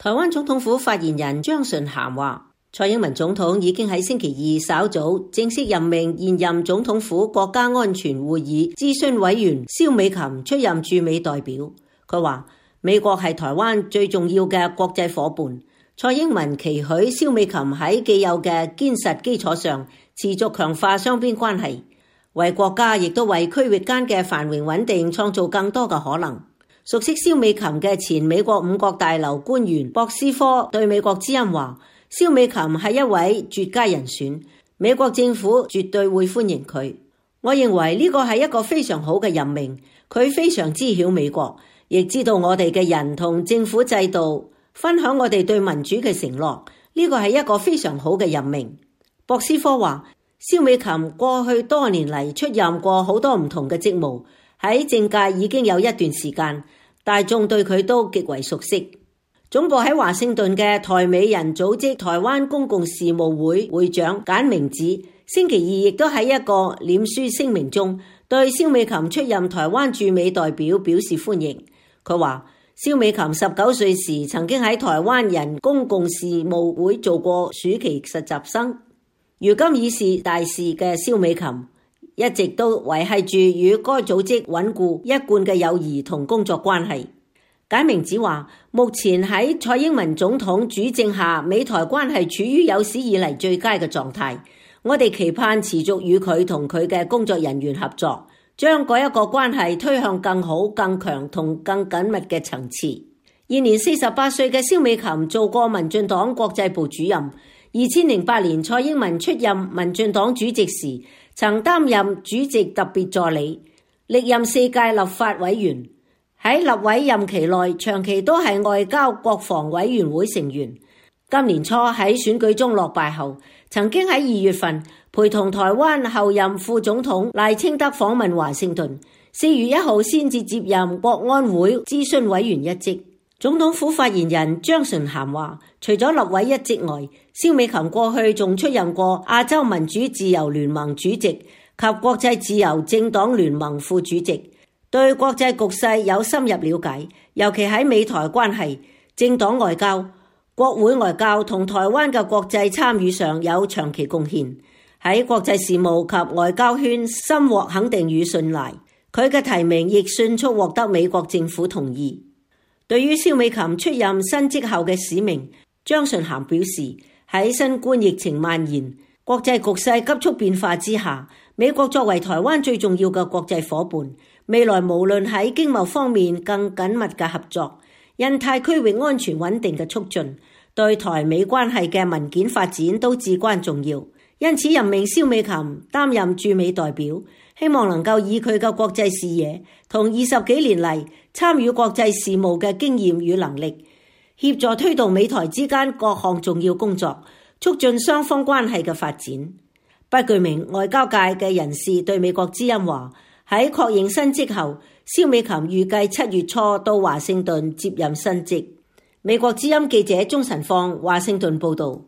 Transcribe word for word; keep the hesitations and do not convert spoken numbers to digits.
台灣總統府發言人張純涵話，蔡英文總統已經喺星期二稍早正式任命現任總統府國家安全會議諮詢委員蕭美琴出任駐美代表。佢話美國係台灣最重要嘅國際夥伴，蔡英文期許蕭美琴喺既有嘅堅實基礎上持續強化雙邊關係，為國家亦都為區域間嘅繁榮穩定創造更多嘅可能。熟悉蕭美琴嘅前美國五角大樓官員博斯科對美國之音話，蕭美琴係一位絕佳人選，美國政府絕對會歡迎佢。我認為呢個係一個非常好嘅任命，佢非常知曉美國，亦知道我哋嘅人同政府制度，分享我哋對民主嘅承諾，呢個係一個非常好嘅任命。博斯科話，蕭美琴過去多年嚟出任過好多唔同嘅職務，喺政界已經有一段時間，大眾對佢都極為熟悉。總部喺華盛頓嘅台美人組織台灣公共事務會會長簡明子星期二亦都喺一個臉書聲明中對蕭美琴出任台灣駐美代表表示歡迎。佢話蕭美琴十九歲時曾經喺台灣人公共事務會做過暑期實習生，如今已是大使嘅蕭美琴一直都維繫住與該組織穩固一貫嘅友誼同工作關係。簡明子話，目前喺蔡英文總統主政下，美台關係處於有史以嚟最佳嘅狀態。我哋期盼持續與佢同佢嘅工作人員合作，將嗰一個關係推向更好、更強同更緊密嘅層次。現年四十八歲嘅蕭美琴做過民進黨國際部主任，二千零八年蔡英文出任民進黨主席時，曾擔任主席特別助理，歷任四屆立法委員。喺立委任期內，長期都係外交國防委員會成員。今年初喺選舉中落敗後，曾經喺二月份陪同台灣後任副總統賴清德訪問華盛頓，四月一號先至接任國安會諮詢委員一職。總統府發言人張純涵話，除咗立委一職外，蕭美琴過去仲出任過亞洲民主自由聯盟主席及國際自由政黨聯盟副主席。對國際局勢有深入了解，尤其喺美台關係、政黨外交、國會外交同台灣嘅國際參與上有長期貢獻，喺國際事務及外交圈深獲肯定與信賴。佢嘅提名亦迅速獲得美國政府同意。對於蕭美琴出任新職後嘅使命，張純涵表示，喺新冠疫情蔓延、國際局勢急速變化之下，美國作為台灣最重要嘅國際夥伴，未來無論喺經貿方面更緊密嘅合作、印太區域安全穩定嘅促進、對台美關係嘅文件發展都至關重要。因此任命蕭美琴擔任駐美代表，希望能夠以佢嘅國際視野同二十幾年嚟參與國際事務嘅經驗與能力，協助推動美台之間各項重要工作，促進雙方關係嘅發展。不具名外交界嘅人士對美國之音話，喺確認新職後，蕭美琴預計七月初到華盛頓接任新職。美國之音記者鍾晨放華盛頓報道。